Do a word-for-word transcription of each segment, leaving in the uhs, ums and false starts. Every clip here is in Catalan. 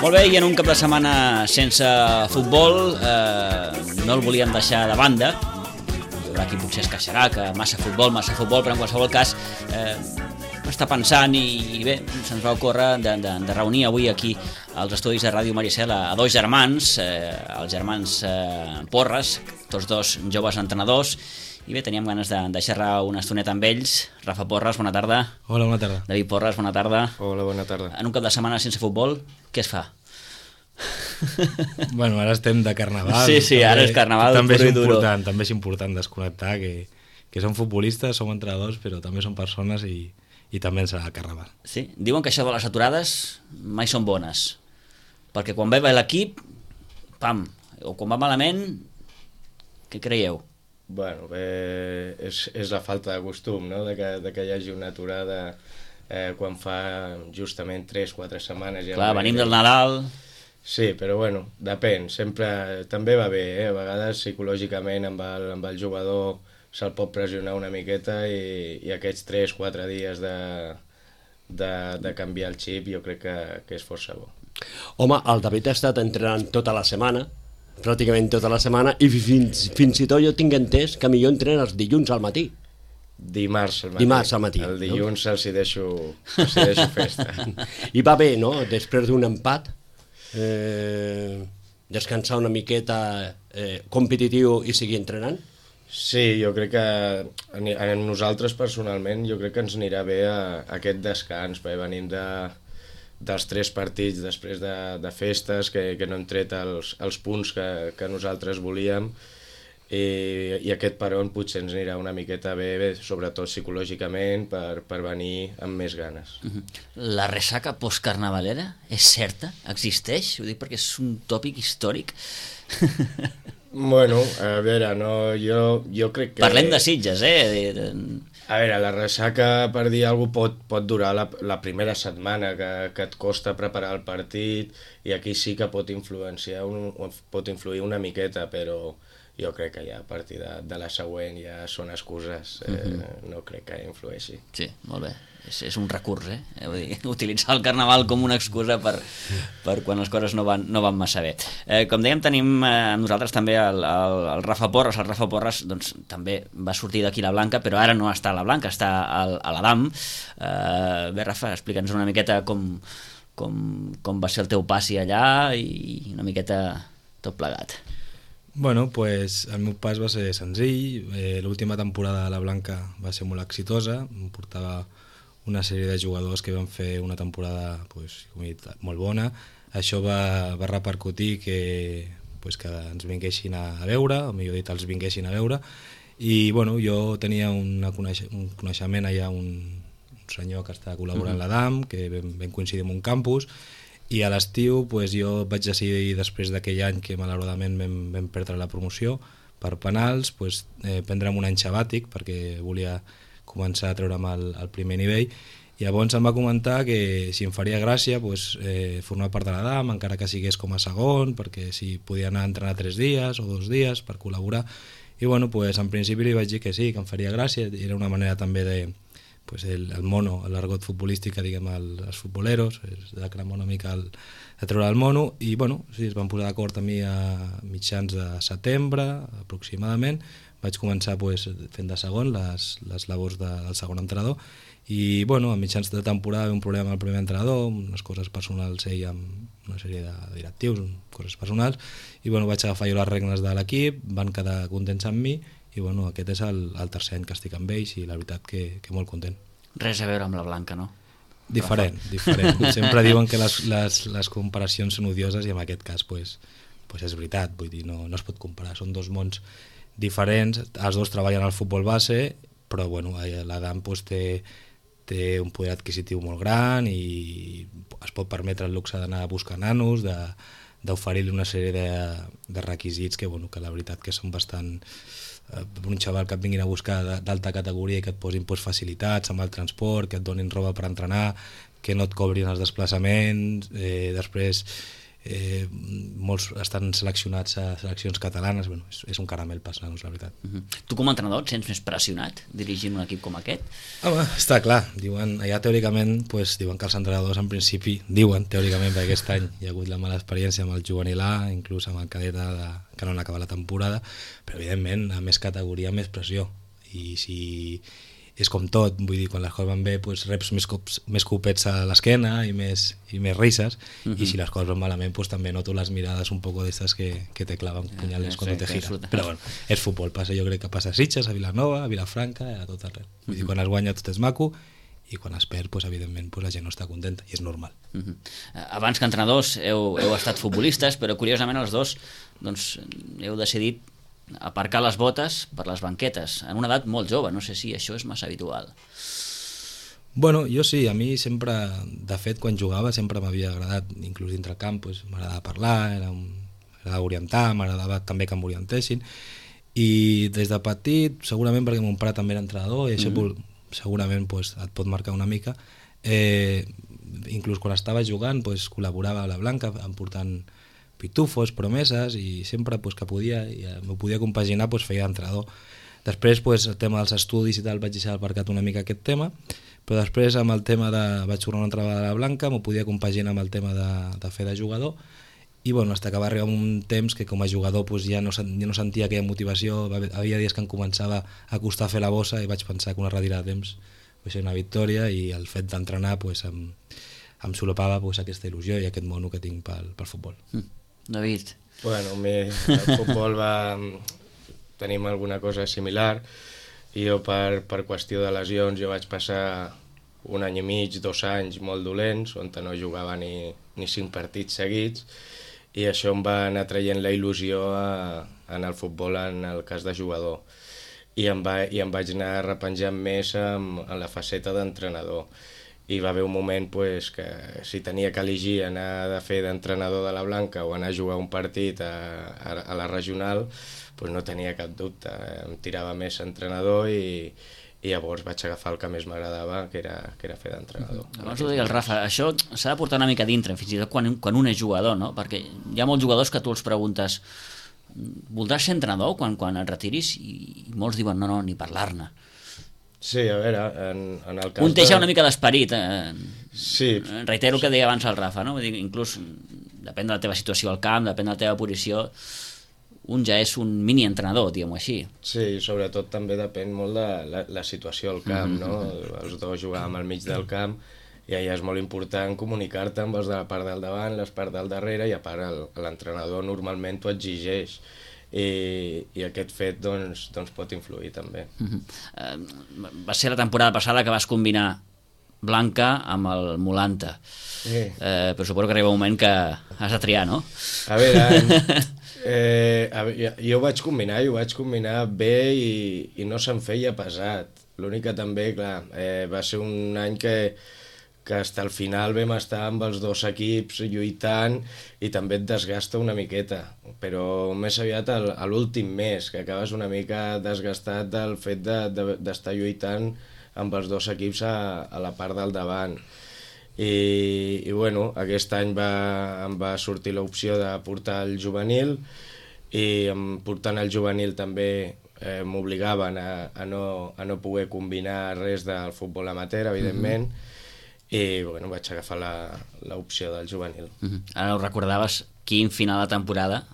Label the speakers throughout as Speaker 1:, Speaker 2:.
Speaker 1: Molt bé, i en un cap de setmana sense futbol eh, no el volíem deixar de banda. Hi haurà qui potser es queixarà que massa futbol, massa futbol, però en qualsevol cas eh, està pensant i, i bé, se'ns va ocórrer de, de, de reunir avui aquí als estudis de Ràdio Maricel a, a dos germans, eh, els germans eh, Porres, tots dos joves entrenadors. I bé, teníem ganes de, de xerrar una estoneta amb ells. Rafa Porres, bona tarda.
Speaker 2: Hola, bona tarda.
Speaker 1: David Porres, bona tarda.
Speaker 3: Hola, bona tarda.
Speaker 1: En un cap de setmana sense futbol, què es fa?
Speaker 2: Bueno, ara estem de carnaval.
Speaker 1: Sí, sí,
Speaker 2: també,
Speaker 1: ara és carnaval.
Speaker 2: També és important, també és important desconnectar, que, que som futbolistes, som entrenadors, però també som persones i, i també ens agrada el carnaval.
Speaker 1: Sí, diuen que això de les aturades mai són bones, perquè quan va bé l'equip, pam, o quan va malament, què creieu?
Speaker 3: Bueno, eh, és, és la falta de costum, no?, de que, de que hi hagi una aturada eh, quan fa justament tres o quatre setmanes. Ja
Speaker 1: Clar, venim del Nadal...
Speaker 3: Sí, però bueno, depèn, sempre també va bé, eh? A vegades psicològicament amb el, amb el jugador se'l pot pressionar una miqueta i, i aquests tres o quatre dies de, de, de canviar el xip jo crec que, que és força bo.
Speaker 4: Home, el David ha estat entrenant tota la setmana, pràcticament tota la setmana, i fins, fins i tot jo tinc entès que millor entrena els dilluns al matí.
Speaker 3: Dimarts al matí.
Speaker 4: Dimarts al matí.
Speaker 3: El dilluns no? els, hi deixo, els hi deixo festa.
Speaker 4: I va bé, no?, després d'un empat, eh, descansar una miqueta eh, competitiu i seguir entrenant?
Speaker 3: Sí, jo crec que a nosaltres personalment jo crec que ens anirà bé a, a aquest descans, perquè venim de, dels tres partits després de, de festes que, que no hem tret els, els punts que, que nosaltres volíem i, i aquest peron potser ens anirà una miqueta bé, bé sobretot psicològicament per, per venir amb més ganes.
Speaker 1: La ressaca postcarnavalera és certa? Existeix? Ho dic perquè és un tòpic històric.
Speaker 3: Bueno, a veure, no, jo, jo crec que...
Speaker 1: Parlem de Sitges, eh?
Speaker 3: A veure, la ressaca, per dir alguna cosa, pot, pot durar la, la primera setmana que, que et costa preparar el partit i aquí sí que pot influenciar, un, pot influir una miqueta, però jo crec que ja a partir de, de la següent ja són excuses, eh, uh-huh. no crec que influeixi.
Speaker 1: Sí, molt bé. És, és un recurs, eh? Vull dir, utilitzar el carnaval com una excusa per, per quan les coses no van, no van massa bé. Eh, com dèiem, tenim eh, amb nosaltres també el, el, el Rafa Porres. El Rafa Porres doncs, també va sortir d'aquí la Blanca, però ara no està a la Blanca, està al, a l'Adam. Eh, bé, Rafa, explica'ns una miqueta com, com, com va ser el teu passi allà i una miqueta tot plegat.
Speaker 2: Bueno, pues el meu pas va ser senzill. Eh, l'última temporada a la Blanca va ser molt exitosa. Em portava una sèrie de jugadors que van fer una temporada pues, com he dit, molt bona. Això va, va repercutir que, pues, que ens vinguessin a veure, o millor dit, els vinguessin a veure, i bueno, jo tenia una coneix un coneixement allà, un, un senyor que està col·laborant uh-huh. a l'Adam, que vam, vam coincidir en un campus, i a l'estiu pues, jo vaig decidir, després d'aquell any que malauradament vam, vam perdre la promoció per penals, pues, eh, prendre'm un any sabàtic perquè volia començar a treure'm el, el primer nivell. I llavors em va comentar que si em faria gràcia pues, eh, formar part de l'Adam, encara que sigués com a segon, perquè si podia anar a entrenar tres dies o dos dies per col·laborar. I bueno, pues, en principi li vaig dir que sí, que em faria gràcia. Era una manera també de, pues, el, el mono, l'argot futbolístic que diguem el, els futboleros, de cremar una mica el, de treure el mono, i bueno, sí, es van posar d'acord amb mi a mitjans de setembre aproximadament. Vaig començar pues, fent de segon les, les labors de, del segon entrenador i bueno, a mitjans de temporada un problema amb el primer entrenador, unes coses personals ell amb una sèrie de directius, coses personals, i bueno, vaig agafar jo les regnes de l'equip, van quedar contents amb mi i bueno, aquest és el, el tercer any que estic amb ells i la veritat que, que molt content.
Speaker 1: Res a veure amb la Blanca, no?
Speaker 2: Diferent, diferent. Sempre diuen que les, les, les comparacions són odioses i en aquest cas pues, pues és veritat, vull dir, no, no es pot comparar, són dos mons diferents, els dos treballen al futbol base, però bueno, l'Adam pues, té, té un poder adquisitiu molt gran i es pot permetre el luxe d'anar a buscar nanos, d'oferir-li una sèrie de, de requisits que, bueno, que la veritat que són bastant... Eh, un xaval que et vinguin a buscar d'alta categoria i que et posin pues, facilitats amb el transport, que et donin roba per entrenar, que no et cobrin els desplaçaments, eh, després eh, molts estan seleccionats a seleccions catalanes, bueno, és, és un caramel passar-nos, la veritat.
Speaker 1: Uh -huh. Tu com a entrenador et sents més pressionat dirigint un equip com aquest?
Speaker 2: Home, està clar, diuen, allà teòricament pues, diuen que els entrenadors en principi diuen teòricament perquè aquest any hi ha hagut la mala experiència amb el juvenil A, inclús amb el cadet A de, que no han acabat la temporada, però evidentment a més categoria més pressió, i si és com tot, vull dir, quan les coses van bé pues, reps més, cops, més copets a l'esquena i més, i més risses, uh -huh. i si les coses van malament pues, també noto les mirades un poco d'estes que, que te clavan punyales quan te gira, però bueno, és futbol, passa, jo crec que passa a Sitges, a Vilanova, a Vilafranca, a tot arreu, vull dir, quan es guanya tot és maco i quan es perd, pues, evidentment pues, la gent no està contenta i és normal.
Speaker 1: Uh -huh. Abans que entrenadors heu, heu estat futbolistes, però curiosament els dos doncs, heu decidit aparcar les botes per les banquetes en una edat molt jove, no sé si això és massa habitual.
Speaker 2: Bueno, jo sí, a mi sempre, de fet, quan jugava sempre m'havia agradat, inclús dintre el camp, pues, m'agradava parlar, era un, m'agradava orientar, m'agradava també que m'orientessin, i des de petit, segurament perquè mon pare també era entrenador, i això mm-hmm. segurament pues, et pot marcar una mica, eh, inclús quan estava jugant pues, col·laborava a la Blanca, em portant pitufos, promeses, i sempre pues, que podia, i m'ho podia compaginar, pues, feia d'entrenador. Després pues, el tema dels estudis i tal vaig deixar aparcat una mica aquest tema, però després amb el tema de... vaig tornar una altra vegada a la Blanca, m'ho podia compaginar amb el tema de, de fer de jugador, i bueno, hasta que va arribar un temps que com a jugador pues, ja, no, ja no sentia aquella motivació, havia dies que em començava a costar fer la bossa i vaig pensar que una retirada de temps va ser una victòria, i el fet d'entrenar pues, em, em solapava pues, aquesta il·lusió i aquest mono que tinc pel, pel futbol.
Speaker 1: Mm. David?
Speaker 3: Bueno, mi, el futbol va... tenim alguna cosa similar, i jo per, per qüestió de lesions jo vaig passar un any i mig, dos anys molt dolents, on no jugava ni, ni cinc partits seguits, i això em va anar traient la il·lusió a, en el futbol en el cas de jugador, i em, va, i em vaig anar repenjant més en, en la faceta d'entrenador. I va haver un moment pues, que si tenia que elegir anar a fer d'entrenador de la Blanca o anar a jugar un partit a, a, a la regional, pues no tenia cap dubte, em tirava més entrenador, i, i llavors vaig agafar el que més m'agradava, que era, que era fer d'entrenador.
Speaker 1: Abans ho deia el Rafa, això s'ha de portar una mica dintre, fins i tot quan, quan un és jugador, no? Perquè hi ha molts jugadors que tu els preguntes voldràs ser entrenador quan, quan et retiris? I, i molts diuen no, no, ni parlar-ne.
Speaker 3: Sí, a veure, en, en el cas
Speaker 1: un té ja
Speaker 3: de...
Speaker 1: una mica d'esperit, eh?
Speaker 3: Sí.
Speaker 1: Reitero el que deia abans el Rafa, no? Vull dir, inclús depèn de la teva situació al camp, depèn de la teva posició, un ja és un mini-entrenador, diguem-ho així.
Speaker 3: Sí, sobretot també depèn molt de la, la situació al camp, no? Els dos jugàvem al mig del camp, i allà és molt important comunicar-te amb els de la part del davant, les parts del darrere, i a part l'entrenador normalment t'ho exigeix. I, i aquest fet doncs, doncs pot influir també.
Speaker 1: Uh-huh. uh, va ser la temporada passada que vas combinar Blanca amb el Molanta,
Speaker 3: Sí.
Speaker 1: uh, però suposo que arriba un moment que has de triar, no?
Speaker 3: A veure, eh, a veure, jo ho vaig combinar, jo ho vaig combinar bé, i, i no se'm feia pesat. L'únic que també, clar, eh, va ser un any que que fins al final vam estar amb els dos equips lluitant, i també et desgasta una miqueta, però més aviat a l'últim mes, que acabes una mica desgastat del fet d'estar de, de, lluitant amb els dos equips a, a la part del davant. I, i bueno, aquest any va, em va sortir l'opció de portar el juvenil, i em portant el juvenil també eh, m'obligaven a, a, no, a no poder combinar res del futbol amateur, evidentment, mm-hmm. i bueno, vaig agafar l'opció del juvenil.
Speaker 1: Uh-huh. Ara ho recordaves, quin final de temporada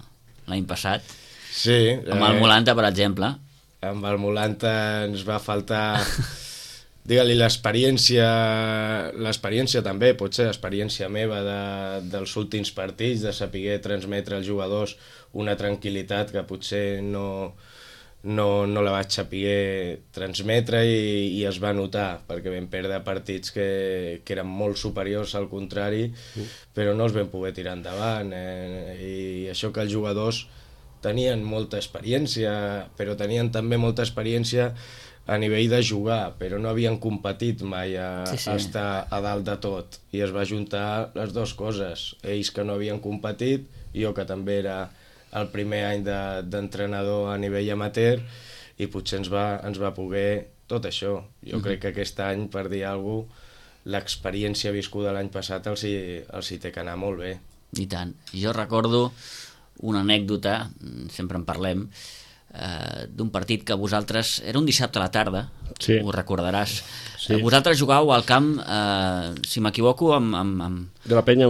Speaker 1: l'any passat,
Speaker 3: sí,
Speaker 1: amb el Molanta, per exemple.
Speaker 3: Amb el Molanta ens va faltar, digue-li, l'experiència, l'experiència també, potser l'experiència meva de, dels últims partits, de saber transmetre als jugadors una tranquil·litat que potser no... No, no la vaig saber transmetre, i, i es va notar, perquè vam perdre partits que, que eren molt superiors al contrari, uh. però no els vam poder tirar endavant, eh? I això que els jugadors tenien molta experiència, però tenien també molta experiència a nivell de jugar, però no havien competit mai a, sí, sí. a estar a dalt de tot, i es va juntar les dues coses, ells que no havien competit, i jo que també era el primer any d'entrenador de, a nivell amateur, i potser ens va, ens va poder tot això. Jo uh-huh. crec que aquest any, per dir alguna cosa, l'experiència viscuda l'any passat els hi, els hi té que anar molt bé.
Speaker 1: I tant. Jo recordo una anècdota, sempre en parlem, eh, d'un partit que vosaltres... Era un dissabte a la tarda,
Speaker 4: sí. Ho
Speaker 1: recordaràs.
Speaker 4: Sí.
Speaker 1: Eh, vosaltres jugàveu al camp, eh, si m'equivoco, amb, amb, amb...
Speaker 4: De la penya...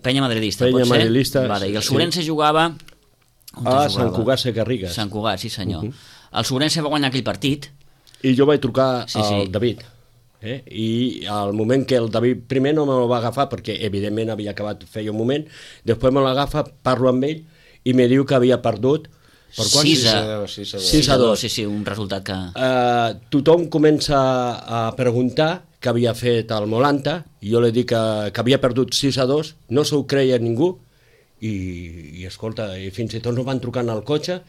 Speaker 1: Penya madridista,
Speaker 4: penya
Speaker 1: pot ser?
Speaker 4: Madridista,
Speaker 1: vale, I el
Speaker 4: sí.
Speaker 1: Sobrense jugava... On
Speaker 4: ah,
Speaker 1: jugava?
Speaker 4: Sant Cugat Segarrigues.
Speaker 1: Sant Cugat, sí senyor.
Speaker 4: Uh -huh.
Speaker 1: El Sobrense va guanyar aquell partit.
Speaker 4: I jo vaig trucar
Speaker 1: sí,
Speaker 4: al
Speaker 1: sí.
Speaker 4: David. Eh? I al moment que el David primer no me lo va agafar, perquè evidentment havia acabat feia un moment, després me l'agafa, parlo amb ell i me diu que havia perdut
Speaker 1: per quant? sis a dos. Sí, sí, un resultat que...
Speaker 4: Uh, tothom comença a preguntar què havia fet el Molanta, i jo li dic que, que havia perdut sis a dos, no s'ho creia ningú, i, i escolta, i fins i tot no van trucant al cotxe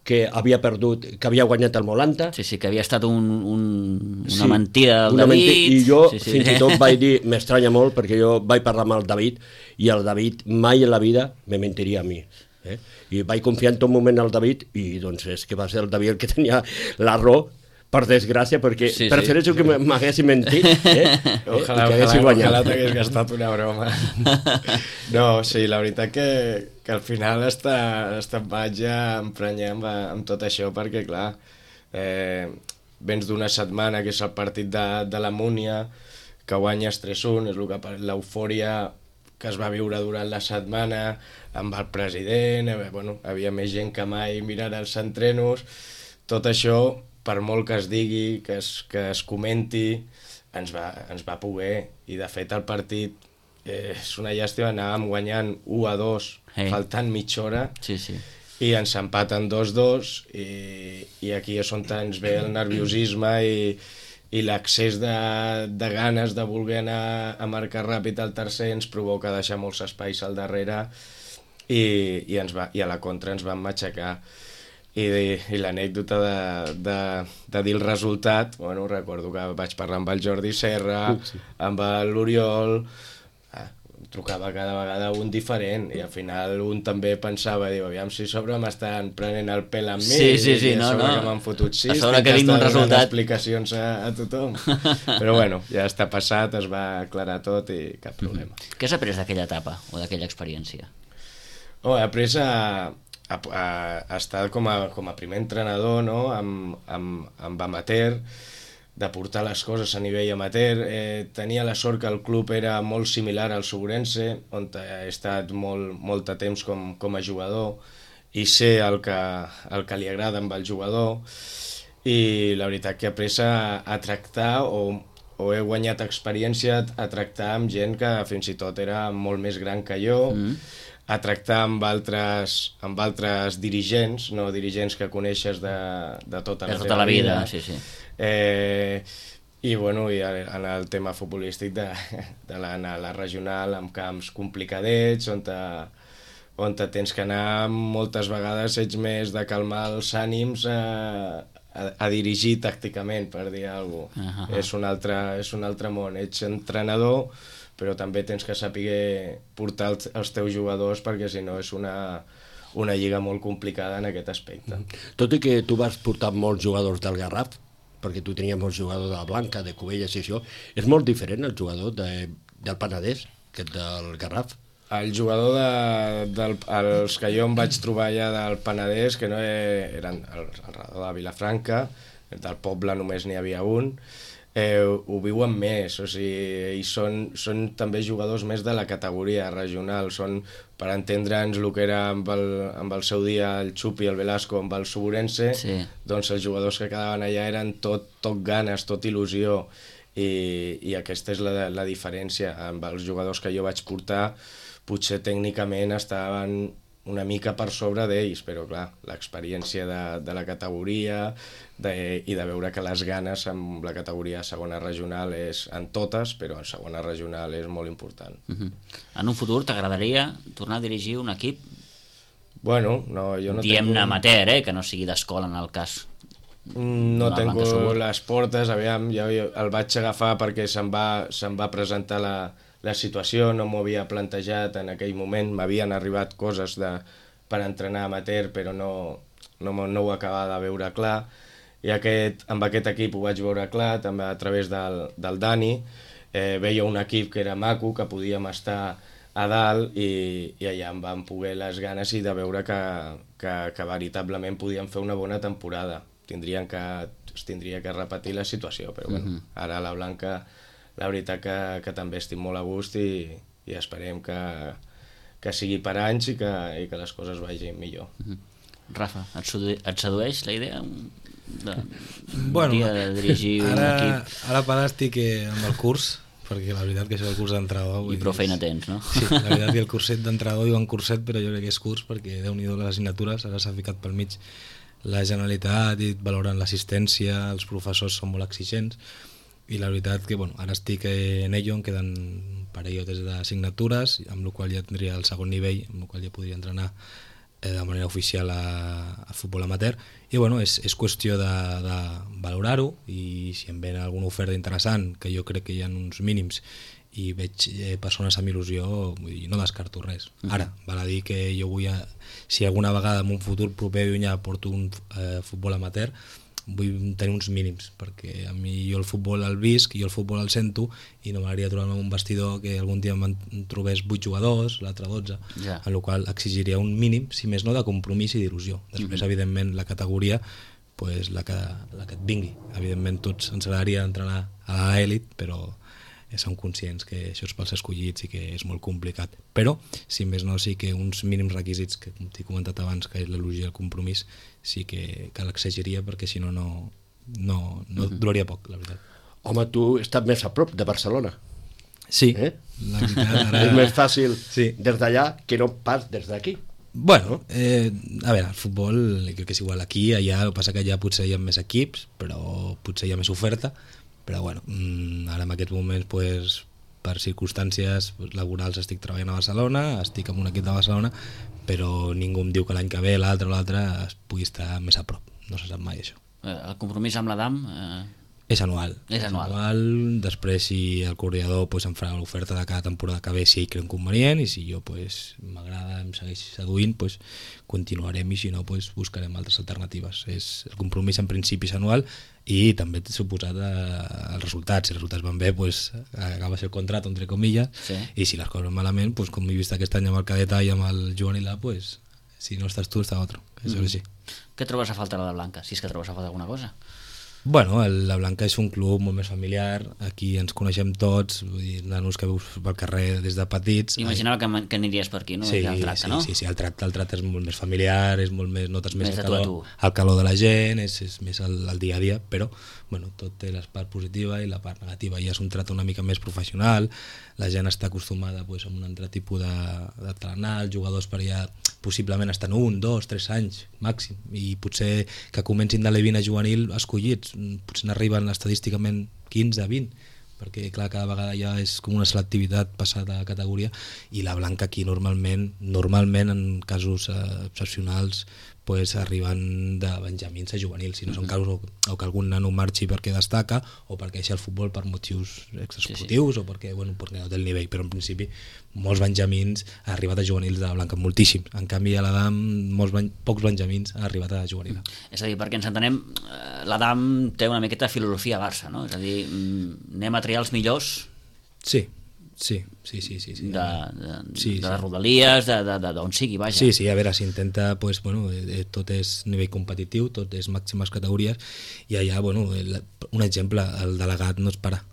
Speaker 4: que havia perdut, que havia guanyat el Molanta.
Speaker 1: Sí, sí, que havia estat un, un, una
Speaker 4: sí,
Speaker 1: mentida del
Speaker 4: una
Speaker 1: David.
Speaker 4: Mentida, I jo
Speaker 1: sí, sí.
Speaker 4: fins i tot vaig dir, m'estranya molt, perquè jo vaig parlar amb el David, i el David mai en la vida me mentiria a mi. Eh? I vaig confiar en tot moment al David, i doncs és que va ser el David el que tenia la raó, per desgràcia, perquè sí, prefereixo sí. que m'haguessin mentit eh?
Speaker 3: Ojalà, eh? ojalà, ojalà t'hagués gastat una broma. No, sí, la veritat que, que al final està, està vaig ja emprenyar amb, amb tot això, perquè clar, eh, vens d'una setmana que és el partit de, de la Múnia, que guanyes tres a un, és el que l'eufòria que es va viure durant la setmana amb el president, eh, bueno, havia més gent que mai mirant els entrenos, tot això, per molt que es digui, que es, que es comenti, ens va, ens va poder, i de fet el partit eh, és una llàstima, anàvem guanyant u a dos, hey. faltant mitja hora,
Speaker 1: sí, sí.
Speaker 3: i ens empaten dos a dos, i, i aquí és on ens ve el nerviosisme i, i l'accés de, de ganes de voler anar a marcar ràpid al tercer ens provoca deixar molts espais al darrere, i, i, ens va, i a la contra ens van matxacar. I, i l'anècdota de, de, de dir el resultat, bueno, recordo que vaig parlar amb el Jordi Serra, sí. amb l'Oriol, ah, trucava cada vegada un diferent, i al final un també pensava, diu, aviam si sobre m'estan prenent el pèl amb mi,
Speaker 1: sí, sí, sí,
Speaker 3: i a
Speaker 1: no,
Speaker 3: sobre
Speaker 1: no.
Speaker 3: que m'han fotut sis,
Speaker 1: a sobre que vinc un resultat,
Speaker 3: explicacions a, a tothom. Però bueno, ja està passat, es va aclarar tot i cap problema.
Speaker 1: Mm-hmm. Què has après d'aquella etapa o d'aquella experiència?
Speaker 3: Oh, he après a... A, a, a estar com a, com a primer entrenador, no? amb, amb, amb amateur, de portar les coses a nivell amateur. Eh, tenia la sort que el club era molt similar al Sobrense, on he estat molt, molt de temps com, com a jugador, i sé el que, el que li agrada amb el jugador, i la veritat que he après a, a tractar, o, o he guanyat experiència a tractar amb gent que fins i tot era molt més gran que jo, mm. a tractar amb altres, amb altres dirigents, no dirigents que coneixes de, de tota la,
Speaker 1: de tota la vida.
Speaker 3: vida.
Speaker 1: Sí, sí.
Speaker 3: Eh, i, bueno, i en el tema futbolístic de, de l'anar a la regional amb camps complicadets, on, te, on te tens que anar moltes vegades, ets més de calmar els ànims a, a, a dirigir tàcticament, per dir alguna cosa. Uh -huh. És un altre, és un altre món, ets entrenador, però també tens que saber portar els, els teus jugadors, perquè si no és una, una lliga molt complicada en aquest aspecte.
Speaker 4: Tot i que tu vas portar molts jugadors del Garraf, perquè tu tenies molts jugadors de la Blanca, de Cubelles i això, és molt diferent el jugador de, del Penedès que del Garraf?
Speaker 3: El jugador de, del, els que jo em vaig trobar allà del Penedès, que no eren al, al redor de Vilafranca, del poble només n'hi havia un, Eh, ho viuen més, o sigui, i són, són també jugadors més de la categoria regional, són, per entendre'ns el que era amb el, amb el seu dia el Xupi i el Velasco amb el Sobrense, sí. Doncs els jugadors que quedaven allà eren tot, tot ganes, tot il·lusió, i, i aquesta és la, la diferència. Amb els jugadors que jo vaig portar, potser tècnicament estaven una mica per sobre d'ells, però clar, l'experiència de, de la categoria de, i de veure que les ganes amb la categoria segona regional és en totes, però en segona regional és molt important.
Speaker 1: Uh-huh. En un futur t'agradaria tornar a dirigir un equip?
Speaker 3: Bueno, no, jo no
Speaker 1: Diem-ne
Speaker 3: tengo...
Speaker 1: amateur, eh, que no sigui d'escola en el cas.
Speaker 3: No tengo les portes, aviam, jo el vaig agafar perquè se'm va, se'm va presentar la la situació, no m'ho havia plantejat en aquell moment, m'havien arribat coses de, per entrenar amateur, però no, no, no ho acabava de veure clar, i aquest, amb aquest equip ho vaig veure clar, també a través del, del Dani, eh, veia un equip que era maco, que podíem estar a dalt i, i allà em van poder les ganes i de veure que, que, que veritablement podien fer una bona temporada. Tindrien que, es tindria que repetir la situació, però bueno, uh-huh. ara a la Blanca la veritat que, que també estic molt a gust i, i esperem que, que sigui per anys i que, i que les coses vagin millor.
Speaker 1: Uh-huh. Rafa, et, sedu et sedueix la idea de,
Speaker 2: bueno,
Speaker 1: dia de dirigir
Speaker 2: ara,
Speaker 1: un equip?
Speaker 2: Ara per ara estic amb el curs, perquè la veritat que això del curs d'entrenador...
Speaker 1: I prou feina tens, no?
Speaker 2: Sí, la veritat que el curset d'entrenador diuen curset, però jo crec que és curs, perquè Déu-n'hi-do les assignatures, ara s'ha ficat pel mig la Generalitat i valoren l'assistència, els professors són molt exigents, i la veritat que, bueno, ara estic en ello, em queden un parell d'assignatures, amb la qual ja tindria el segon nivell, amb la qual ja podria entrenar eh, de manera oficial a, a futbol amateur, i bueno, és, és qüestió de, de valorar-ho, i si em ven alguna oferta interessant, que jo crec que hi ha uns mínims, i veig eh, persones amb il·lusió, vull dir, no descarto res. Uh-huh. Ara, val a dir que jo vull, a, si alguna vegada en un futur proper o llunyà porto un eh, futbol amateur, vull tenir uns mínims, perquè a mi jo el futbol el visc, jo el futbol el sento, i no m'agradaria trobar-me en un vestidor que algun dia em trobés vuit jugadors, l'altre dotze, yeah. En la qual exigiria un mínim, si més no, de compromís i d'il·lusió. Després, uh-huh. evidentment, la categoria, pues, la, que, la que et vingui. Evidentment, tots ens agradaria entrenar a l'elit, però som conscients que això és pels escollits i que és molt complicat. Però, si més no, sí que uns mínims requisits, que com t'he comentat abans, que és l'il·lusió i el compromís, sí que, que l'exegiria, perquè si no, no, no, no uh-huh. duraria poc, la veritat.
Speaker 4: Home, tu estàs més a prop de Barcelona.
Speaker 2: Sí,
Speaker 4: eh?
Speaker 2: La veritat, ara...
Speaker 4: és més fàcil
Speaker 2: sí.
Speaker 4: des d'allà que no pas des d'aquí.
Speaker 2: Bueno, eh, a veure, el futbol crec que és igual aquí, allà, el que passa que allà potser hi ha més equips, però potser hi ha més oferta, però bueno, ara en aquests moments pues, per circumstàncies laborals estic treballant a Barcelona, estic en un equip de Barcelona, però ningú em diu que l'any que ve l'altre o l'altre es pugui estar més a prop, no se sap mai això.
Speaker 1: El compromís amb l'Adam... Eh...
Speaker 2: És anual.
Speaker 1: És anual.
Speaker 2: anual. Després, si el coordinador pues, em farà l'oferta de cada temporada que ve, si ell creu convenient, i si jo pues, m'agrada, em segueix seduint, pues, continuarem, i si no, pues, buscarem altres alternatives. És, el compromís en principi és anual, i també t'he suposat eh, els resultats. Si els resultats van bé, pues, acabes el contracte, entre comillas, sí. I si les coses van malament, pues, com he vist aquest any amb el Cadeta i amb el juvenil, pues, si no estàs tu, està otro. Això mm. és així.
Speaker 1: Què trobes a falta a la Blanca, si és que trobes a falta alguna cosa?
Speaker 2: Bueno, el, la Blanca és un club molt més familiar, aquí ens coneixem tots, vull dir, nanos que veus pel carrer des de petits.
Speaker 1: Imaginava que, que aniries per aquí, no?
Speaker 2: Sí,
Speaker 1: el tracte,
Speaker 2: sí,
Speaker 1: no?
Speaker 2: sí, sí, el tracte, el tracte és molt més familiar, és molt més, notes més,
Speaker 1: més
Speaker 2: el, calor, el calor de la gent, és, és més el, el dia a dia, però bueno, tot té la part positiva i la part negativa. Ja és un tracte una mica més professional, la gent està acostumada pues, a un altre tipus de, de trenar, els jugadors per allà possiblement estan un, dos, tres anys màxim, i potser que comencin de l'E vint a juvenil escollits, potser n'arriben estadísticament quinze, vint, perquè clar, cada vegada ja és com una selectivitat passada a categoria, i la Blanca aquí normalment, normalment en casos eh, excepcionals, pues, arriben de benjamins a juvenils, si no són casos o, o que algun nano marxi perquè destaca o perquè deixa el futbol per motius extraesportius, sí, sí. O perquè, bueno, perquè no té el nivell, però en principi molts benjamins han arribat a juvenils de la Blanca, moltíssims. En canvi a l'Adam molts ben, pocs benjamins han arribat a juvenil.
Speaker 1: És a dir, perquè ens entenem, l'Adam té una miqueta de filosofia a Barça, no? És a dir, anem a triar els millors.
Speaker 2: Sí. Sí, sí, sí, sí, sí.
Speaker 1: De, de,
Speaker 2: sí,
Speaker 1: de les
Speaker 2: sí.
Speaker 1: Rodalies, d'on sigui, vaja.
Speaker 2: Sí, sí, a veure, s'intenta, pues, bueno, eh, tot és nivell competitiu, tot és màximes categories, i allà, bueno, el, un exemple, el delegat no es para.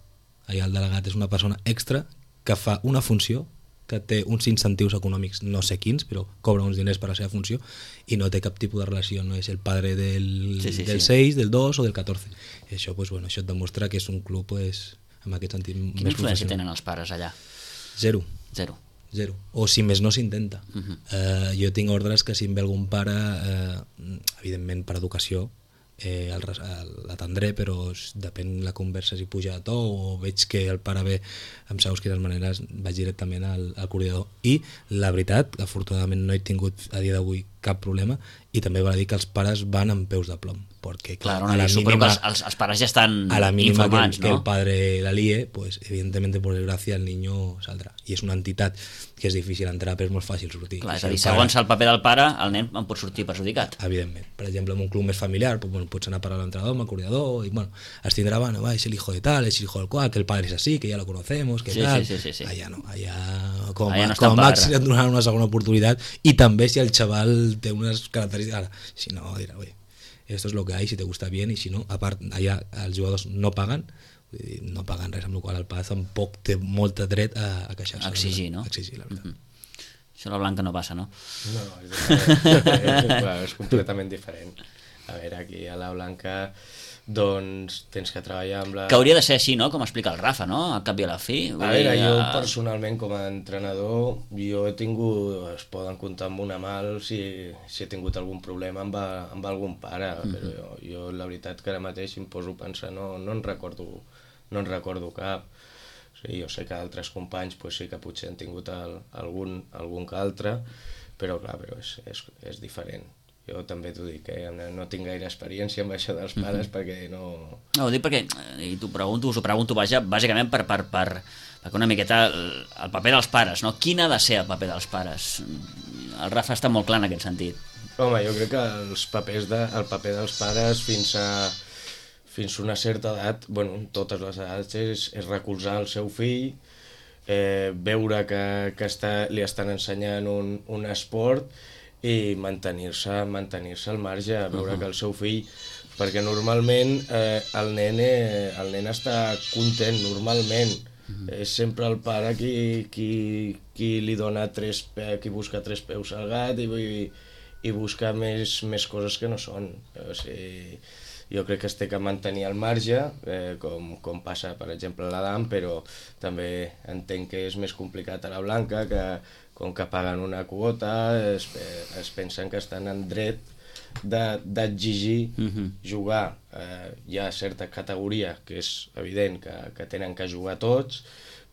Speaker 2: Allà el delegat és una persona extra que fa una funció, que té uns incentius econòmics, no sé quins, però cobra uns diners per la seva funció, i no té cap tipus de relació, no és el padre del, sí, sí, del sí. seis, del dos o del catorze. I això, pues, bueno, això et demostra que és un club, pues, en aquest sentit més
Speaker 1: Quina influència tenen els pares allà?
Speaker 2: Zero.
Speaker 1: Zero.
Speaker 2: Zero. O si més no s'intenta. Uh-huh. eh, jo tinc ordres que si em ve algun pare, eh, evidentment per educació, eh, l'atendré, però depèn la conversa si puja de to o veig que el pare ve amb segons quines maneres, vaig directament al, al coordinador. I la veritat, afortunadament no he tingut a dia d'avui cap problema, i també val a dir que els pares van amb peus de plom. porque
Speaker 1: Claro,
Speaker 2: a
Speaker 1: no,
Speaker 2: la
Speaker 1: supongo que
Speaker 2: mínima,
Speaker 1: els, els, els pares ja estan
Speaker 2: a la mínima que,
Speaker 1: informats,
Speaker 2: que
Speaker 1: no?
Speaker 2: el padre la líe, pues evidentemente por desgracia el niño saldrá. I és una entitat que és difícil entrar, però és molt fàcil sortir.
Speaker 1: Clar,
Speaker 2: I
Speaker 1: és
Speaker 2: si
Speaker 1: a dir,
Speaker 2: el pare-
Speaker 1: segons el paper del pare, el nen en pot sortir perjudicat.
Speaker 2: Evidentment. Per exemple, en un club més familiar, pues, bueno, pots anar a parlar amb l'entrenador, amb el coordinador, i bueno, es tindrà, bueno, va, es el hijo de tal, es el hijo del cual, que el padre es así, que ya lo conocemos, que
Speaker 1: Sí,
Speaker 2: tal.
Speaker 1: sí, sí, sí, sí.
Speaker 2: Allà no, allà com,
Speaker 1: Allà no
Speaker 2: a,
Speaker 1: estan
Speaker 2: com a
Speaker 1: per-
Speaker 2: màxim et donaran una segona oportunitat, i també si el xaval té unes característiques, ara, si no, dirà, oye, esto es lo que hay, si te gusta bien, y si no, a part, allà els jugadors no paguen, vull dir, no paguen res, amb la qual cosa el pare tampoc té molt dret a, a queixar-se.
Speaker 1: Exigir, no?
Speaker 2: Exigir, la veritat.
Speaker 1: Mm -hmm. Això a la Blanca no passa, no?
Speaker 3: No, és, diferent. Bueno, és completament diferent. A veure, aquí a la Blanca doncs tens que treballar amb la...
Speaker 1: Que hauria de ser així, no? Com explica el Rafa, no? Al cap i a la fi.
Speaker 3: A veure, jo personalment com a entrenador jo he tingut, es poden comptar amb una mà si, si he tingut algun problema amb, a, amb algun pare, mm -hmm. però jo, jo la veritat que ara mateix si em poso a pensar no, no en recordo no en recordo cap. O sigui, jo sé que altres companys pues, sí que potser han tingut el, algun, algun que altre, però clar, però és, és, és diferent. Jo també t'ho dic, eh? no tinc gaire experiència amb això dels pares, mm-hmm. perquè no...
Speaker 1: No, ho dic perquè, i t'ho pregunto, us ho pregunto vaja, bàsicament per, per, per, perquè una miqueta el, el paper dels pares, no? Quin ha de ser el paper dels pares? El Rafa està molt clar en aquest sentit.
Speaker 3: Home, jo crec que els papers de, el paper dels pares fins a, fins a una certa edat, bueno, totes les edats, és, és recolzar el seu fill, eh, veure que, que està, li estan ensenyant un, un esport, i mantenir-se mantenir-se al marge, veure uh -huh. que el seu fill, perquè normalment eh, el, nen, eh, el nen està content, normalment uh -huh. és sempre el pare qui, qui, qui li dona tres pe qui busca tres peus al gat i, i, i busca més, més coses que no són. O sigui, jo crec que es té que mantenir al marge, eh, com, com passa per exemple a l'Adam, però també entenc que és més complicat a la Blanca, que com que paguen una quota, es, es pensen que estan en dret d'exigir de, uh-huh. jugar. Eh, hi ha certa categoria que és evident que, que tenen que jugar tots,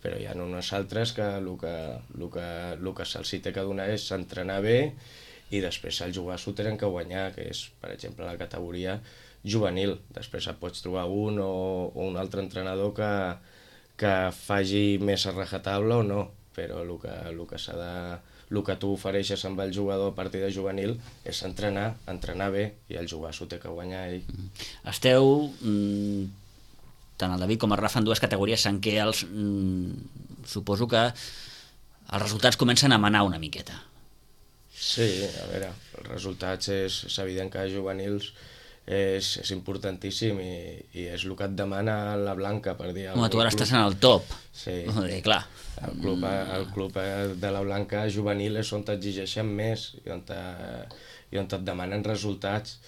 Speaker 3: però hi ha unes altres que el que, el que, el que se'ls té que donar és entrenar bé i després el jugar s'ho tenen que guanyar, que és, per exemple, la categoria juvenil. Després et pots trobar un o, o un altre entrenador que, que faci més a rajatabla o no, però el que, el que s'ha de, el que tu ofereixes amb el jugador a partir de juvenil és entrenar, entrenar bé, i el jugar s'ho té que guanyar ell.
Speaker 1: Esteu, mm, tant el David com el Rafa, en dues categories en què els, mm, suposo que els resultats comencen a manar una miqueta.
Speaker 3: Sí, a veure, els resultats és, és evident que a juvenils és, és importantíssim i, i és el que et demana la Blanca, per dir.
Speaker 1: Home, tu ara estàs en el top.
Speaker 3: Sí.
Speaker 1: Dir, clar.
Speaker 3: El club, el club de la Blanca juvenil és on t'exigeixen més i on, te, i on et demanen resultats.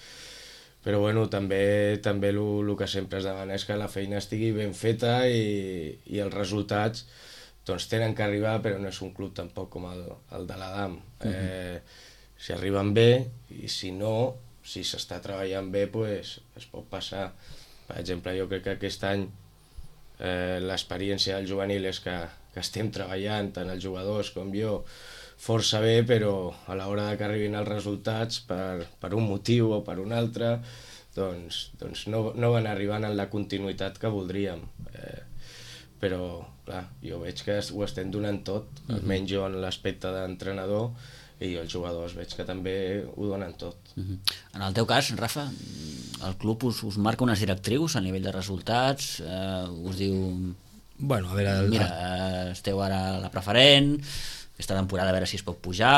Speaker 3: Però bueno, també també el que sempre es demana és que la feina estigui ben feta i, i els resultats doncs tenen que arribar, però no és un club tampoc com el, el de l'Adam. Uh-huh. eh, si arriben bé, i si no, si s'està treballant bé, pues, es pot passar. Per exemple, jo crec que aquest any eh, l'experiència del juvenil és que, que estem treballant, tant els jugadors com jo, força bé, però a l'hora que arribin els resultats, per, per un motiu o per un altre, doncs, doncs no, no van arribant en la continuïtat que voldríem. Eh, però, clar, jo veig que ho estem donant tot, almenys jo en l'aspecte d'entrenador, i els jugadors veig que també ho donen tot.
Speaker 1: Uh-huh. En el teu cas, Rafa, el club us, us marca unes directrius a nivell de resultats, eh, us diu...
Speaker 2: Bueno, a veure... El...
Speaker 1: Mira, eh, esteu ara a la preferent, aquesta temporada a veure si es pot pujar...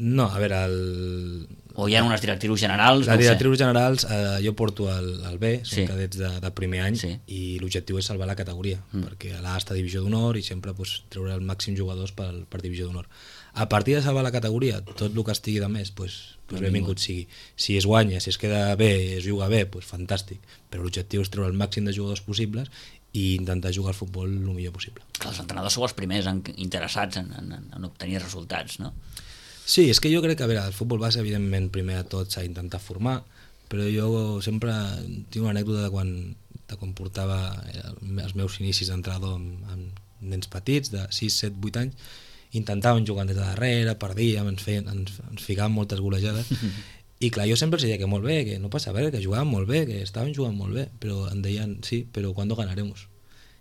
Speaker 2: No, a veure, el...
Speaker 1: O hi ha unes directrius generals?
Speaker 2: Les
Speaker 1: no
Speaker 2: directrius generals, eh, jo porto el, el B, són
Speaker 1: sí.
Speaker 2: cadets de, de primer any,
Speaker 1: sí.
Speaker 2: i l'objectiu és salvar la categoria, mm. perquè a l'A està divisió d'honor i sempre pues, treure el màxim jugadors per, per divisió d'honor. A partir de salvar la categoria, tot el que estigui de més, pues, pues benvingut sigui. Si es guanya, si es queda bé, es juga bé, pues fantàstic, però l'objectiu és treure el màxim de jugadors possibles i intentar jugar al futbol el millor possible.
Speaker 1: Els entrenadors sou els primers en, interessats en, en, en obtenir resultats, no?
Speaker 2: Sí, és que jo crec que a veure, el futbol base, evidentment, primer de tot s'ha d'intentar formar, però jo sempre tinc una anècdota de quan, de quan portava els meus inicis d'entrenador amb, amb nens petits, de sis, set, vuit anys, intentàvem jugar des de darrere, perdíem, ens, feien, ens, ens ficàvem moltes golejades, I clar, jo sempre els deia que molt bé, que no passa res, que jugaven molt bé, que estaven jugant molt bé, però em deien, sí, però quan ganaremos?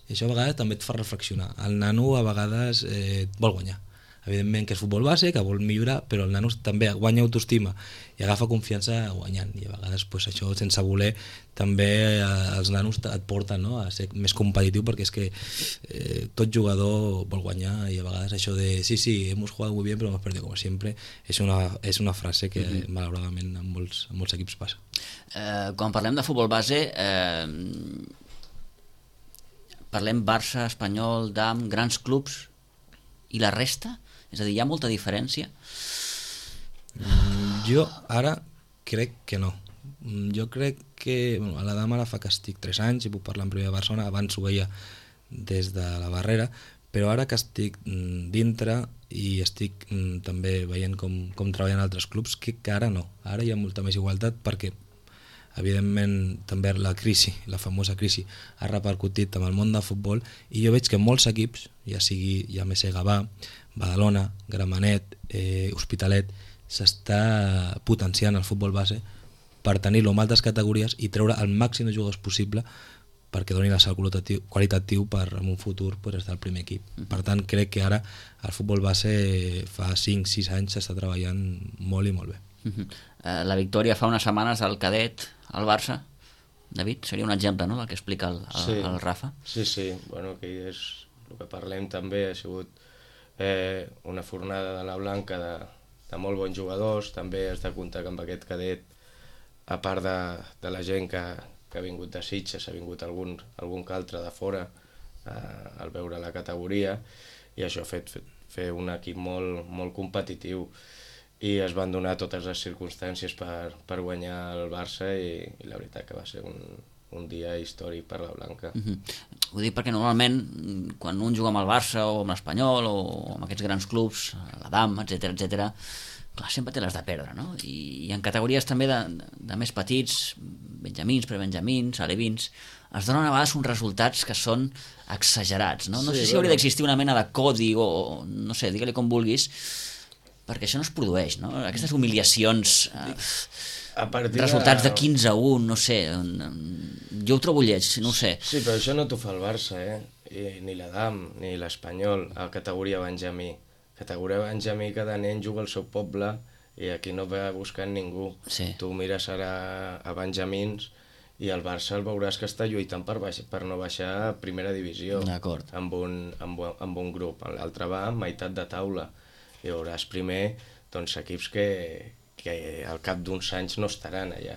Speaker 2: I això a vegades també et fa reflexionar. El nano a vegades eh, vol guanyar. Evidentment que és futbol base, que vol millorar, però el nano també guanya autoestima i agafa confiança guanyant. I a vegades pues, això, sense voler, també eh, els nanos et porten, no?, a ser més competitiu, perquè és que eh, tot jugador vol guanyar i a vegades això de sí, sí, hemos jugado muy bien pero hemos perdido como siempre és una, és una frase que mm-hmm. malauradament en molts, en molts equips passa.
Speaker 1: Eh, quan parlem de futbol base, eh, parlem Barça, Espanyol, D A M, grans clubs i la resta? És a dir, hi ha molta diferència?
Speaker 2: Mm, jo ara crec que no. Jo crec que... Bueno, a la dama ara fa que estic tres anys i puc parlar en primer de Barcelona, abans ho veia des de la barrera, però ara que estic dintre i estic mm, també veient com, com treballen altres clubs, que, que ara no. Ara hi ha molta més igualtat perquè evidentment també la crisi, la famosa crisi, ha repercutit amb el món del futbol i jo veig que molts equips, ja sigui ja més Gavà, Badalona, Gramenet, eh, Hospitalet, s'està potenciant el futbol base per tenir-lo en altres categories i treure el màxim de jugadors possible perquè doni la salt qualitatiu, qualitatiu per en un futur pues, estar al primer equip. Uh-huh. Per tant, crec que ara el futbol base fa cinc sis anys s'està treballant molt i molt bé.
Speaker 1: Uh-huh. Uh, la victòria fa unes setmanes del cadet al Barça, David, seria un exemple, no?, del que explica el, el,
Speaker 3: sí.
Speaker 1: el Rafa.
Speaker 3: Sí, sí, bueno, que és el que parlem també, ha sigut eh, una fornada de la Blanca de, de molt bons jugadors, també has de comptar que amb aquest cadet, a part de, de la gent que, que ha vingut de Sitges, ha vingut algun, algun que altre de fora eh, al veure la categoria, i això ha fet, fet fer un equip molt, molt competitiu, i es van donar totes les circumstàncies per, per guanyar el Barça i, i la veritat que va ser un, un dia històric per la Blanca.
Speaker 1: Uh-huh. Ho dic perquè normalment quan un juga amb el Barça o amb l'Espanyol o amb aquests grans clubs, la D A M, etcètera, etcètera, clar, sempre té les de perdre, no? I, i en categories també de, de més petits, benjamins, prebenjamins, alevins, es donen a vegades uns resultats que són exagerats, no? No sí, sé si hauria d'existir una mena de codi o, no sé, digue-li com vulguis, perquè això no es produeix, no? Aquestes humiliacions, eh, resultats de quinze a un, no sé, jo ho trobo lleig, no ho sé.
Speaker 3: Sí, però això no t'ho fa el Barça, eh? I, ni la D A M, ni l'Espanyol, a categoria Benjamí. Categoria Benjamí, cada nen juga al seu poble i aquí no va buscant ningú.
Speaker 1: Sí.
Speaker 3: Tu mires ara a Benjamins i el Barça el veuràs que està lluitant per, baix, per no baixar a primera divisió.
Speaker 1: D'acord.
Speaker 3: Amb un, amb, amb un grup. L'altre va a meitat de taula. I veuràs primer doncs, equips que, que al cap d'uns anys no estaran allà.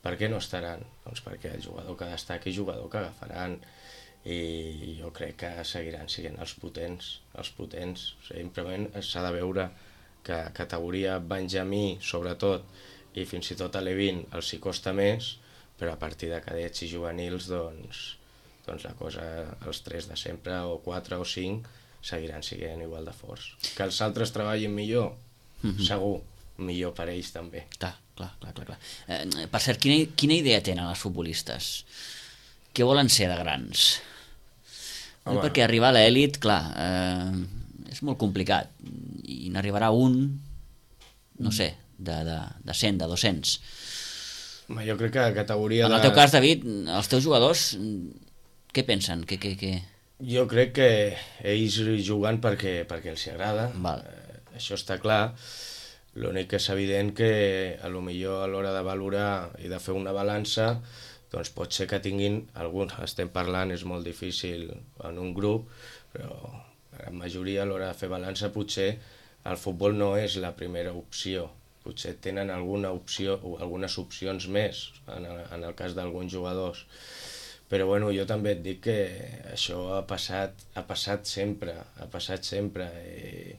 Speaker 3: Per què no estaran? Doncs perquè el jugador que destaqui és jugador que agafaran i jo crec que seguiran sent els potents, els potents. Simplement s'ha de veure que categoria Benjamí, sobretot, i fins i tot a l'E vint els hi costa més, però a partir de cadets i juvenils doncs, doncs la cosa, els tres de sempre, o quatre o cinc, seguiran sent igual de forts. Que els altres treballin millor, mm-hmm. segur, millor per ells també.
Speaker 1: Clar, clar, clar, clar. clar. Eh, per cert, quina, quina idea tenen els futbolistes? Què volen ser de grans? Home. Perquè arribar a l'elit, clar, eh, és molt complicat. I n'arribarà un, no sé, de, de, de cent, de dos-cents.
Speaker 3: Home, jo crec que a categoria
Speaker 1: en
Speaker 3: de...
Speaker 1: el teu cas, David, els teus jugadors, què pensen? Què, què, què...
Speaker 3: Jo crec que ells juguen perquè, perquè els agrada, eh, això està clar. L'únic que és evident que a lo millor a l'hora de valorar i de fer una balança doncs pot ser que tinguin alguns, estem parlant, és molt difícil en un grup, però la majoria a l'hora de fer balança potser el futbol no és la primera opció, potser tenen alguna opció o algunes opcions més en el, en el cas d'alguns jugadors. Però bueno, jo també et dic que això ha passat, ha passat sempre, ha passat sempre i,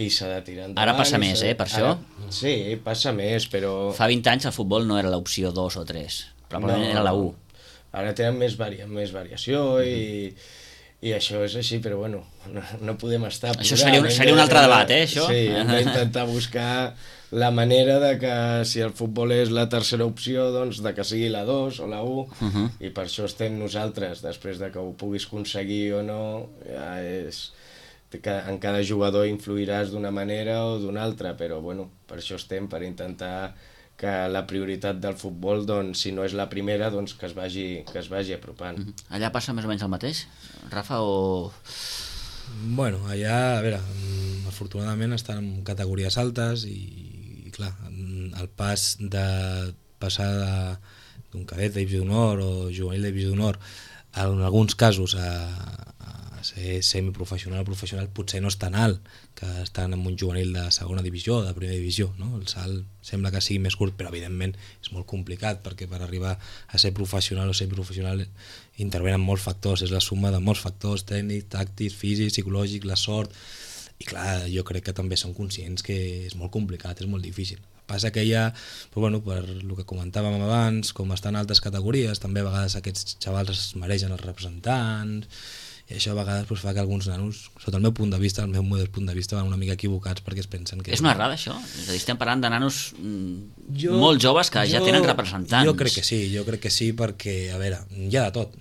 Speaker 3: i s'ha de tirar endavant.
Speaker 1: Ara passa més, eh, per això?
Speaker 3: Ara, sí, passa més, però...
Speaker 1: Fa vint anys el futbol no era l'opció dos o tres, probablement no, era la u.
Speaker 3: Ara tenen més, varia, més variació i, i això és així, però bueno, no, no podem estar...
Speaker 1: Això seria un, seria un altre debat, eh, això?
Speaker 3: Sí, hem d'intentar buscar la manera de que si el futbol és la tercera opció, doncs de que sigui la dos o la u, uh-huh. i per això estem nosaltres, després de que ho puguis aconseguir o no, ja és... que en cada jugador influiràs d'una manera o d'una altra, però bueno, per això estem, per intentar que la prioritat del futbol, doncs, si no és la primera, doncs que es vagi, que es vagi apropant.
Speaker 1: Mm-hmm. Allà passa més o menys el mateix, Rafa, o...?
Speaker 2: Bueno, allà, a veure, afortunadament estan en categories altes i, i clar, el pas de passar d'un cadet de divisió d'honor o juvenil de divisió d'honor en alguns casos a, a ser semiprofessional o professional potser no és tan alt que estan en un juvenil de segona divisió o de primera divisió, no? El salt sembla que sigui més curt, però evidentment és molt complicat perquè per arribar a ser professional o semiprofessional intervenen molts factors, és la suma de molts factors tècnics, tàctics, físics, psicològics, la sort, i clar, jo crec que també són conscients que és molt complicat, és molt difícil. Passa que ja, però bueno, per el que comentàvem abans, com estan en altres categories, també a vegades aquests xavals es mereixen els representants, i això a vegades pues, fa que alguns nanos, sota el meu punt de vista, el meu modest punt de vista, van una mica equivocats perquè es pensen que...
Speaker 1: És una errada, això? És a dir, estem parlant de nanos
Speaker 2: jo,
Speaker 1: molt joves que
Speaker 2: jo,
Speaker 1: ja tenen representants.
Speaker 2: Jo crec que sí, jo crec que sí, perquè, a veure, hi ha de tot,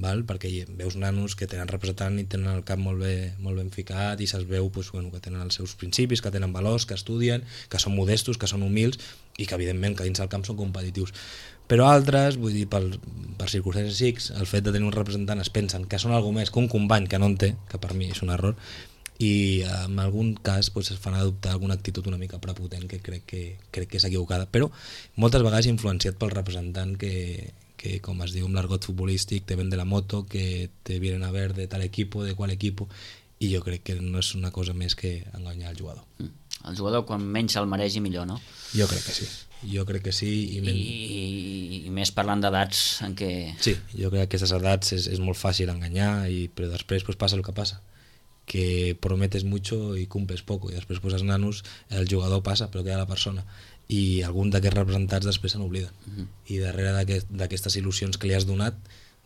Speaker 2: val? Perquè veus nanos que tenen representant i tenen el cap molt, bé, molt ben ficat i se'ls veu pues, bueno, que tenen els seus principis, que tenen valors, que estudien, que són modestos, que són humils i que, evidentment, que dins del camp són competitius. Però altres, vull dir, per, per circumstàncies X, el fet de tenir un representant es pensen que són alguna més que un company que no en té, que per mi és un error, i en algun cas pues, es fan adoptar alguna actitud una mica prepotent que crec que, crec que és equivocada, però moltes vegades influenciat pel representant que, que com es diu en l'argot futbolístic, te vende la moto, que te vienen a ver de tal equipo, de qual equipo, i jo crec que no és una cosa més que enganyar el jugador.
Speaker 1: Mm. El jugador quan menys se'l mereix i millor, no?
Speaker 2: Jo crec que sí. Jo crec que sí. I, men...
Speaker 1: I, i més parlant d'edats en què...
Speaker 2: Sí, jo crec que aquestes edats és, és molt fàcil enganyar, i, però després pues, passa el que passa, que prometes mucho i cumples poco, i després pues, els nanos, el jugador passa, però queda la persona, i algun d'aquests representats després se n'obliden. Uh-huh. I darrere d'aquestes aquest, il·lusions que li has donat,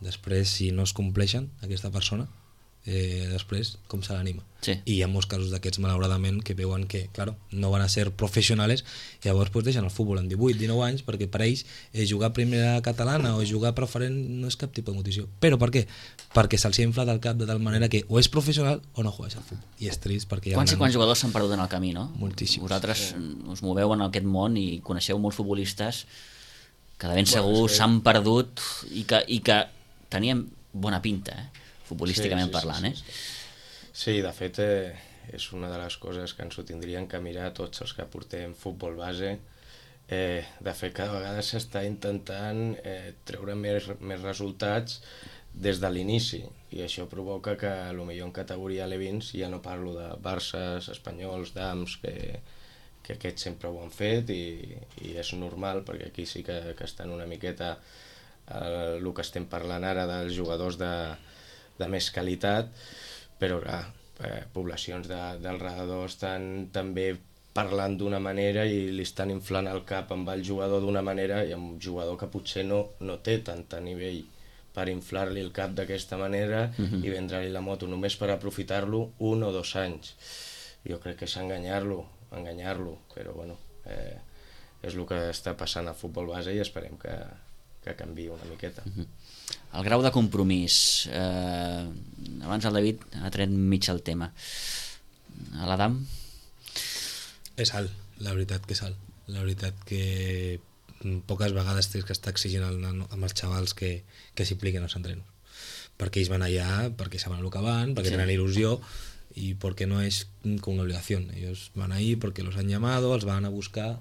Speaker 2: després, si no es compleixen, aquesta persona, eh, després, com se l'anima.
Speaker 1: Sí.
Speaker 2: I hi ha molts casos d'aquests, malauradament, que veuen que, claro, no van a ser professionals, i llavors pues, deixen el futbol en divuit, dinou anys, perquè per ells eh, jugar a primera catalana o jugar preferent no és cap tipus de motivació. Però per què? Perquè se'ls ha inflat el cap de tal manera que o és professional o no jugues al futbol. I és trist perquè hi ha...
Speaker 1: Quants i quants jugadors s'han perdut en el camí, no?
Speaker 2: Moltíssims.
Speaker 1: Vosaltres sí. us moveu en aquest món i coneixeu molts futbolistes que de ben
Speaker 3: bueno,
Speaker 1: segur
Speaker 3: sí.
Speaker 1: s'han perdut i que, i que tenien bona pinta, eh? futbolísticament
Speaker 3: sí, sí,
Speaker 1: parlant,
Speaker 3: sí, sí,
Speaker 1: eh?
Speaker 3: Sí, sí de fet eh, és una de les coses que ens ho tindrien que mirar tots els que portem futbol base. Eh, de fet, cada vegada s'està intentant eh, treure més, més resultats des de l'inici, i això provoca que potser en categoria alevins ja no parlo de Barças, Espanyols, Dams, que, que aquests sempre ho han fet, i, i és normal, perquè aquí sí que, que estan una miqueta eh, el que estem parlant ara dels jugadors de de més qualitat, però clar, eh, poblacions de, del redador estan també parlant d'una manera i li estan inflant el cap amb el jugador d'una manera, i amb un jugador que potser no, no té tant a nivell per inflar-li el cap d'aquesta manera uh-huh. i vendre-li la moto només per aprofitar-lo un o dos anys. Jo crec que és enganyar-lo, enganyar-lo, però bueno, eh, és el que està passant al futbol base i esperem que, que canviï una miqueta.
Speaker 1: Uh-huh. El grau de compromís, eh, abans el David ha tret mig el tema. A l'Adam?
Speaker 2: És alt, la veritat que és alt. La veritat que poques vegades tens que estar exigint el nano, amb els xavals que, que s'impliquen als entrenos. Perquè ells van allà, perquè saben el que van, perquè sí. tenen il·lusió, y porque no es con una obligación. Ellos van ahí porque los han llamado, els van a buscar,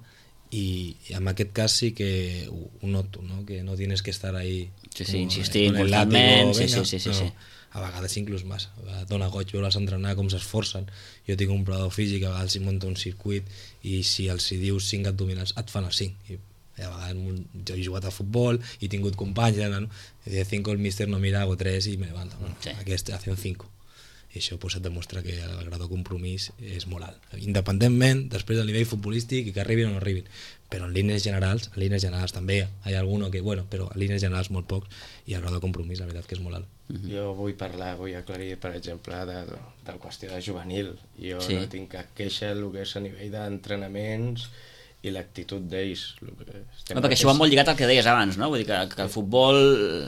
Speaker 2: y, y en aquest cas sí que ho, ho noto, ¿no? Que no tienes que estar ahí
Speaker 1: sí, sí, insistint constantment, sí, sí, sí, sí,
Speaker 2: no,
Speaker 1: sí.
Speaker 2: A vegades inclús més, dona goig veure-les entrenar, com s'esforcen. Jo tinc un provador físic, a vegades hi munta un circuit i si els hi dius cinc abdominals et fan els cinc. I a vegades jo he jugat a futbol i he tingut companys, no? I de cinco el míster no mira, hago tres i me levanto. Bueno, sí. Aquest hacen cinco. I això pues, et demostra que el grau de compromís és molt alt. Independentment, després del nivell futbolístic, i que arribin o no arribin. Però en línies generals, en línies generals també hi ha alguno que, bueno, però en línies generals molt pocs, i el grau de compromís, la veritat que és molt alt.
Speaker 3: Mm-hmm. Jo vull parlar, vull aclarir, per exemple, de, de la qüestió de juvenil. Jo sí. no tinc cap queixa el que és a nivell d'entrenaments i l'actitud d'ells.
Speaker 1: No, perquè això va molt lligat al que deies abans, no? Vull dir que, que el futbol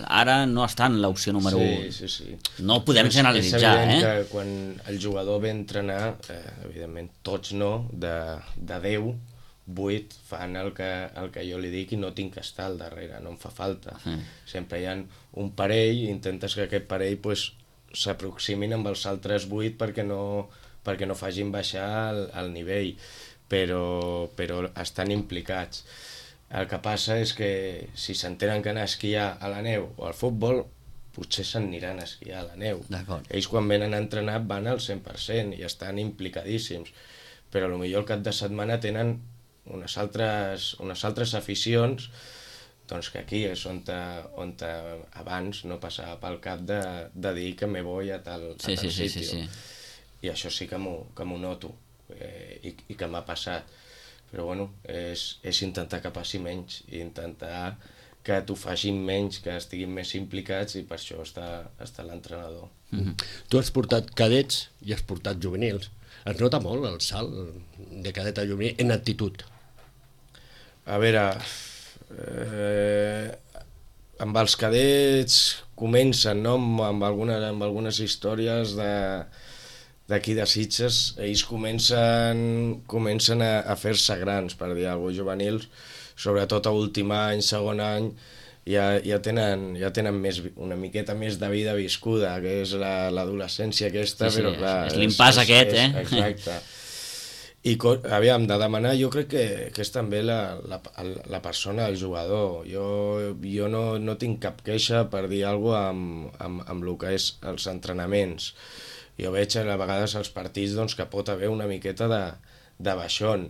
Speaker 1: ara no està en l'opció número
Speaker 3: sí,
Speaker 1: un.
Speaker 3: Sí, sí.
Speaker 1: No ho podem generalitzar,
Speaker 3: és evident
Speaker 1: eh?
Speaker 3: que quan el jugador ve a entrenar, eh, evidentment tots no, de, de deu, vuit fan el que, el que jo li dic i no tinc que estar al darrere, no em fa falta. Mm. Sempre hi ha un parell i intentes que aquest parell pues, s'aproximin amb els altres vuit perquè no, perquè no facin baixar el, el nivell, però, però estan implicats. El que passa és que si s'entenen que anar a esquiar a la neu o al futbol, potser s'aniran a esquiar a la neu. Ells quan venen a entrenar van al cent per cent i estan implicadíssims, però potser el cap de setmana tenen unes altres, unes altres aficions doncs que aquí és on, te, on te, abans no passava pel cap de, de dir que me voy a tal, a
Speaker 1: sí,
Speaker 3: tal
Speaker 1: sí, sí,
Speaker 3: sitio.
Speaker 1: sí, sí.
Speaker 3: I això sí que m'ho noto eh, i, i que m'ha passat. Però bueno, és, és intentar que passi menys i intentar que t'ho facin menys, que estiguin més implicats i per això està, està l'entrenador.
Speaker 4: Mm-hmm. Tu has portat cadets i has portat juvenils. Es nota molt el salt de cadet a juvenil en actitud.
Speaker 3: A veure, eh, amb els cadets comencen, no? amb, algunes, amb algunes històries de, d'aquí de Sitges, ells comencen, comencen a, a fer-se grans, per dir alguna cosa, juvenils, sobretot a últim any, segon any, ja, ja tenen, ja tenen més, una miqueta més de vida viscuda, que és la, l'adolescència aquesta,
Speaker 1: sí, sí,
Speaker 3: però clar...
Speaker 1: És l'impàs aquest,
Speaker 3: és,
Speaker 1: eh?
Speaker 3: Exacte. I, aviam, de demanar, jo crec que, que és també la, la, la persona, el jugador. Jo, jo no, no tinc cap queixa per dir alguna cosa amb, amb, amb el que és els entrenaments. Jo veig a vegades als partits doncs, que pot haver una miqueta de, de baixón,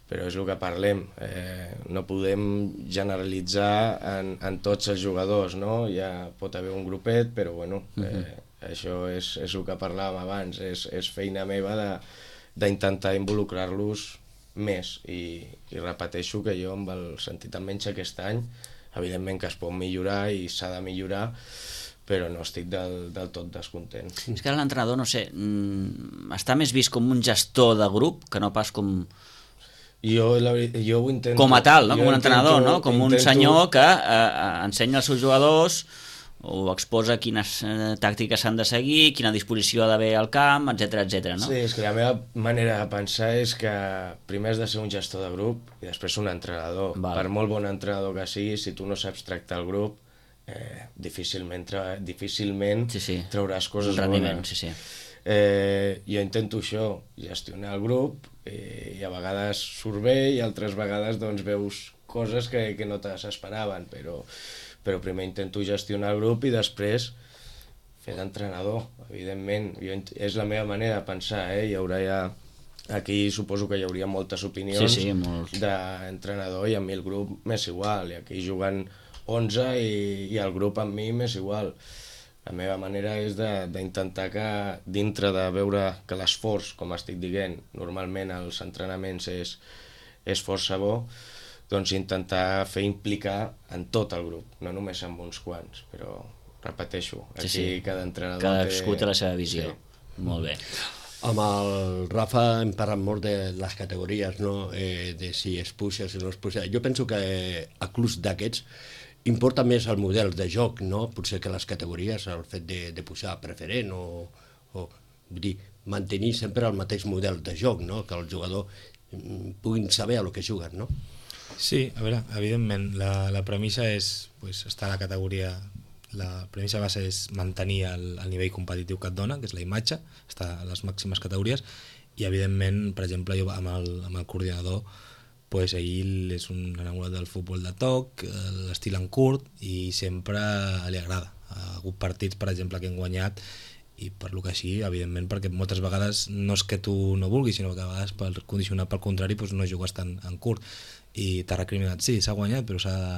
Speaker 3: però és el que parlem. Eh, no podem generalitzar en, en tots els jugadors, no? Ja pot haver un grupet, però bueno, eh, uh-huh. això és, és el que parlàvem abans, és, és feina meva de d'intentar involucrar-los més i, i repeteixo que jo amb el sentit almenys aquest any evidentment que es pot millorar i s'ha de millorar, però no estic del, del tot descontent.
Speaker 1: És que l'entrenador, no sé, està més vist com un gestor de grup que no pas com...
Speaker 3: Jo, la, jo ho intento...
Speaker 1: Com a tal, no? Com un entrenador,
Speaker 3: intento,
Speaker 1: no? Com intento... un senyor que eh, ensenya als seus jugadors o exposa quines eh, tàctiques s'han de seguir, quina disposició ha d'haver al camp, etcètera, etcètera, no?
Speaker 3: Sí, és que la meva manera de pensar és que primer has de ser un gestor de grup i després un entrenador. Val. Per molt bon entrenador que sigui, si tu no saps tractar el grup, eh, difícilment, tra difícilment sí, sí. trauràs coses
Speaker 1: rendiment,
Speaker 3: bones.
Speaker 1: Sí, sí.
Speaker 3: Eh, jo intento això, gestionar el grup, eh, i a vegades surt bé i altres vegades doncs, veus coses que, que no te s'esperaven, però... però primer intento gestionar el grup i després fer d'entrenador, evidentment. Jo, és la meva manera de pensar, eh? Hi haurà ja... Aquí suposo que hi hauria moltes opinions
Speaker 1: sí, sí, molts.
Speaker 3: d'entrenador i a mi el grup m'és igual, i aquí juguen onze i, i el grup amb mi m'és igual. La meva manera és d'intentar que dintre de veure que l'esforç, com estic dient, normalment als entrenaments és, és força bo, doncs intentar fer implicar en tot el grup, no només amb uns quants, però repeteixo, aquí sí, sí. cada entrenador
Speaker 1: cadascú té la seva visió. Sí. Molt bé.
Speaker 4: Amb el Rafa hem parlat molt de les categories, no? eh, de si es puja, si no es puja. Jo penso que a clubs d'aquests importa més el model de joc, no? Potser que les categories, el fet de, de pujar preferent o, o vull dir, mantenir sempre el mateix model de joc, no? Que els jugadors puguin saber a lo que juguen, no?
Speaker 2: Sí, a veure, evidentment, la, la premissa és pues, estar a la categoria, la premissa base és mantenir el, el nivell competitiu que et dona, que és la imatge, estar a les màximes categories, i evidentment, per exemple, jo amb el, amb el coordinador, pues, ell és un enamorat del futbol de toc, l'estil en curt, i sempre li agrada. Ha hagut partits, per exemple, que hem guanyat, i per lo que així, evidentment, perquè moltes vegades no és que tu no vulguis, sinó que a vegades per condicionar pel contrari pues, no jugues tant en curt, i t'ha recriminat, sí, s'ha guanyat, però s'ha de,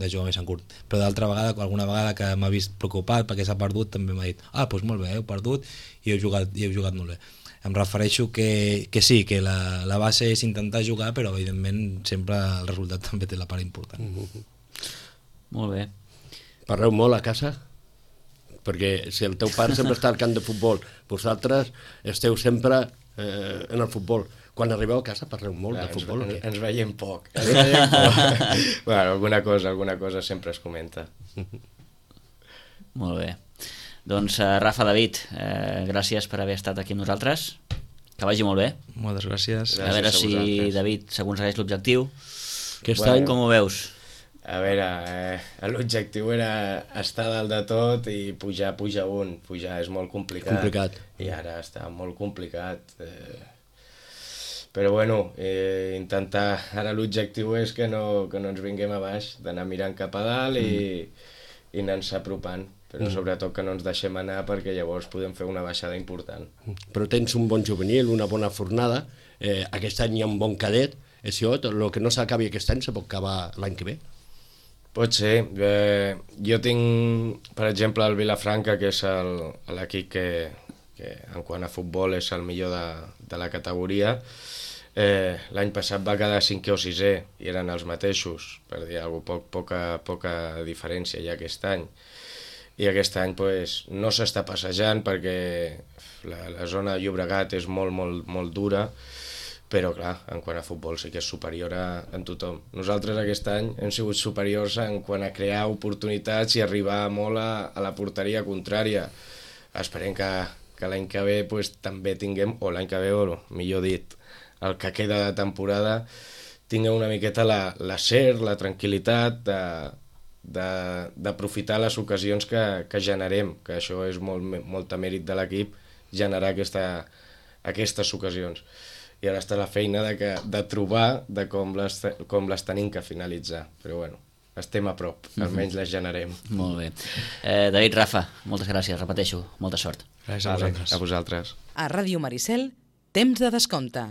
Speaker 2: de jugar més en curt. Però d'altra vegada, alguna vegada que m'ha vist preocupat perquè s'ha perdut, també m'ha dit, ah, doncs molt bé, heu perdut i heu jugat, i heu jugat molt bé. Em refereixo que, que sí, que la, la base és intentar jugar, però evidentment sempre el resultat també té la part important.
Speaker 1: Mm-hmm. Molt bé.
Speaker 4: Parleu molt a casa? Perquè si el teu pare sempre està al camp de futbol, vosaltres esteu sempre eh, en el futbol. Quan arribeu a casa parleu molt Clar, de futbol
Speaker 3: ens,
Speaker 4: o què?
Speaker 3: Ens veiem poc. Ens veiem poc. Bueno, alguna cosa, alguna cosa sempre es comenta.
Speaker 1: Molt bé. Doncs uh, Rafa, David, eh, gràcies per haver estat aquí amb nosaltres. Que vagi molt bé.
Speaker 2: Moltes gràcies.
Speaker 3: Gràcies
Speaker 1: a veure
Speaker 3: a
Speaker 1: si
Speaker 3: vosaltres.
Speaker 1: David s'aconsegueix l'objectiu.
Speaker 4: Aquest
Speaker 3: Bueno.
Speaker 4: any...
Speaker 1: Com ho veus?
Speaker 3: A veure, eh, l'objectiu era estar dalt de tot i pujar, pujar un. Pujar és molt complicat.
Speaker 4: Complicat.
Speaker 3: I ara està molt complicat. Eh, però bueno, eh, intentar... Ara l'objectiu és que no, que no ens vinguem a baix, d'anar mirant cap a dalt i, i anar-se apropant. Però mm. sobretot que no ens deixem anar perquè llavors podem fer una baixada important.
Speaker 4: Però tens un bon juvenil, una bona fornada, eh, aquest any hi ha un bon cadet, és això, el que no s'acabi aquest any se pot acabar l'any que ve?
Speaker 3: Pot ser. Eh, jo tinc, per exemple, el Vilafranca, que és el- l'equip que, que en quant a futbol és el millor de, de la categoria. Eh, L'any passat va quedar cinquè o sisè i eren els mateixos, per dir alguna cosa, poc, poca, poca diferència ja aquest any. I aquest any pues, no s'està passejant perquè la, la zona de Llobregat és molt, molt, molt dura, però clar, en quant a futbol sí que és superior a, en tothom. Nosaltres aquest any hem sigut superiors en quant a crear oportunitats i arribar molt a, a la porteria contrària. Esperem que, que l'any que ve pues, també tinguem, o l'any que ve, o millor dit, el que queda de temporada, tinguem una miqueta la, la ser, la tranquil·litat de de- d'aprofitar les ocasions que, que generem, que això és molt, molta mèrit de l'equip, generar aquesta, aquestes ocasions. I ara està la feina de, que, de trobar de com les, com les tenim que finalitzar. Però bueno, estem a prop, almenys les generem.
Speaker 1: Molt bé. Eh, David, Rafa, moltes gràcies, repeteixo, molta sort.
Speaker 2: Gràcies a
Speaker 3: Vale,
Speaker 2: vosaltres.
Speaker 3: a vosaltres.
Speaker 5: A Ràdio Maricel, temps de descompte.